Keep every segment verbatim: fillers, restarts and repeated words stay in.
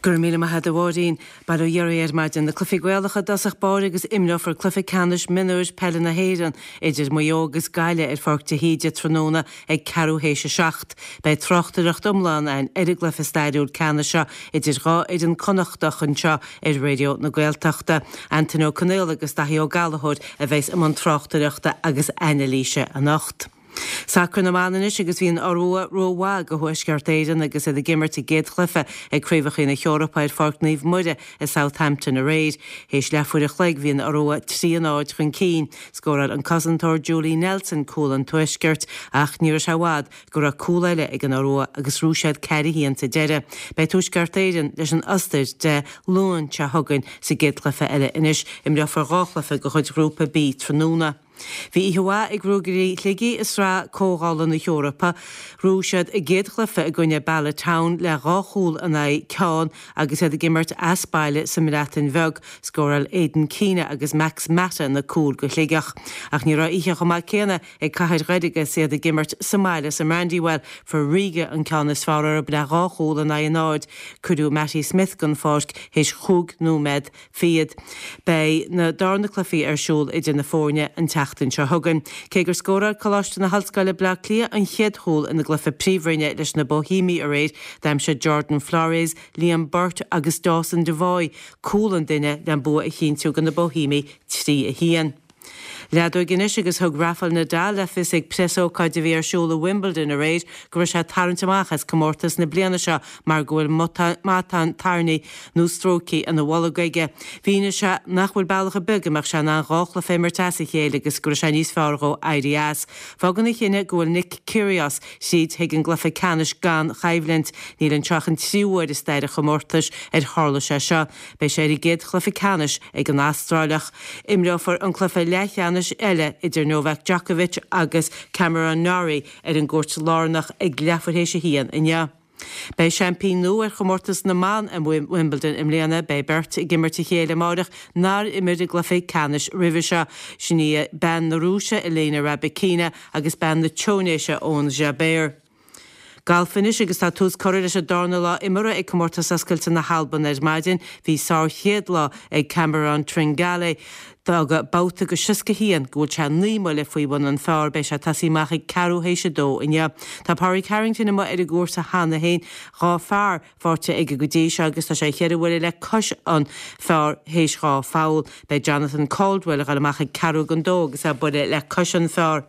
Go raibh míle maith agat a Mháirín. Bail ó Dhia oraibh ar maidin na cluichí Gaelacha i dtosach báire agus imreofar cluiche ceannais mionúir peile na hÉireann idir Maigh Eo agus Gaillimh ar Pháirc de hÍde tráthnóna ag ceathrú théis a seacht. Beidh tráchtaireacht iomlán againn ar an gcluiche stairiúil ceannais seo idir dhá fhoireann Connachtach anseo ar Raidió na Gaeltachta. Antain Ó Conaola agus Daithí Ó Gallchóir a bheas i mbun tráchtaireachta agus anailíse anocht. Sacar na mban anois agus bhí an Iorua rómhaith do Thuaisceart Éireann agus iad ag imirt a gcéad chluiche ag Craobhacha na hEorpa ar Pháirc Naomh Muire i Southampton aréir. Théis leathuair a chloig bhí an Iorua trí a náid chun cinn. Scóráil an cosantóir Julie Nelson cúl an Tuaiscirt ach ní raibh sé i bhfad go raibh cúl eile ag an Iorua agus bhuaigh siad ceathair a haon sa deireadh. Beidh Tuaisceart Éireann leis an Ostair Dé Luain seo chugainn sa gcéad chluiche eile anois imreofar dhá chluiche de chuid Ghrúpa B tráthnóna. Bhí oíche mhaith ag Ruagairí Shligigh i sraith Comhdhála na hEorpa, bhuaigh siad a gcéad chluiche i gcoinne Bala Town le dhá chúl in aghaidh ceann agus iad ag imirt as baile sa mBreatain Bheag, scóráil Aidan Keena agus Max Mata na cúil do Shligeach. Ach ní raibh oíche chomh maith céanna ag Cathair Dhoire agus iad ag imirt sa mbaile sa mBrandywell, fuair Riga an ceann is fearr orthu le dhá chúl in aghaidh a náid. Cuireadh Matty Smith den pháirc théis chúig nóiméad fichead. Beidh na darna cluichí ar siúl idir na foirne an tseachtain seo chugainn. Cé gur scóráil Coláiste na hOllscoile Bleá Cliath an chéad chúl ina gcluiche príomhroinne leis na Bohemiaigh aréir, d'aimsigh Jordan Flores, Liam Burt agus Dawson Devoy cúl an duine le an bua a chinntiú do na Bohemiaigh trí a haon. Leadóg anois agus thug Rafael Nadal le fios ag preasócáid a bhí ar siúl i Wimbledon aréir go raibh sé ag tarraingt amach as comórtas na bliana seo mar go bhfuil matán tairní nó stróicthe ina bholg aige. Mhínigh sé nach bhfuil bealach ar bith go mbeadh sé in ann dhá chluiche a imirt as a chéile agus go raibh sé níos fearr dhó éirí as. Fágann a chinneadh go bhfuil Nick Kyrgios tríd chuig an gcluiche ceannais gan choimhlint. Níl anseo ach an tríú huair i stair an chomórtais ar tharla sé seo. Beidh sé ar an gcéad chluiche ceannais ag an Astráileach. Imreofar an cluiche leathcheannais eile idir Novak Djokovic agus Cameron Norrie ar an gcúirt lárnach ag leathuair théis a haon inniu. Beidh seaimpín nua ar chomórtas na mban i Wimbledon i mbliana, beidh beirt ag imirt a chéile amárach nár imir i gcluiche ceannais roimhe seo. Sin í bean na Rúise Elena Rybakina agus bean na Túinéise Ons Jabeur. Galf anois agus tá tús curtha leis an darna lá imeartha ag comórtas oscailte na hAlban ar maidin, bhí sárchéad lá ag Cameron Tringale. D'fhág babhta go seasca haon go bhfuil sé naoi mbuille faoi bhun an phar, beidh sé ag tosaí amach ag ceathrú théis a dó inniu. Tá Pádraig Harrington amuigh ar an gcúrsa cheana féin, dhá phar faighte aige go dtí seo agus tá sé cheithre bhuille le cois an phar théis dhá pholl. Beidh Jonathan Caldwell ag dul amach ag ceathrú don dó agus é buille le cois an phar.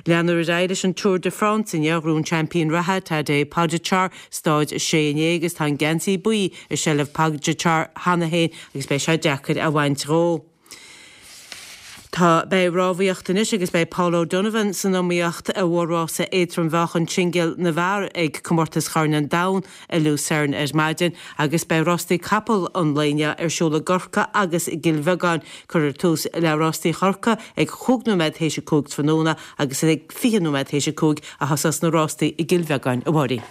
Leanfar ar aghaidh leis an Tour de France inniu bhuaigh an seaimpín reatha Tadej Pogačar stáid a sé inné agus tá an geansaí buí i seilbh Pogačar cheana féin agus beidh sé deacair a bhaint dhó. Tá beidh rámhaíocht anois agus beidh Paul O'Donovan san iomaíocht i mhórrása éadrom-mheáchan singil na bhfear ag comórtas Chorn an Domhain i Lucerne ar maidin agus beidh rástaí capall an lae inniu ar siúl i gCorcaigh agus i gCill Bheagáin. Cuirfear tús le rástaí Chorcaí ag cúig nóiméad théis a cúig tráthnóna agus ag fiche nóiméad théis a cúig a thosós na rástaí i gCill Bheagáin a Mháirín.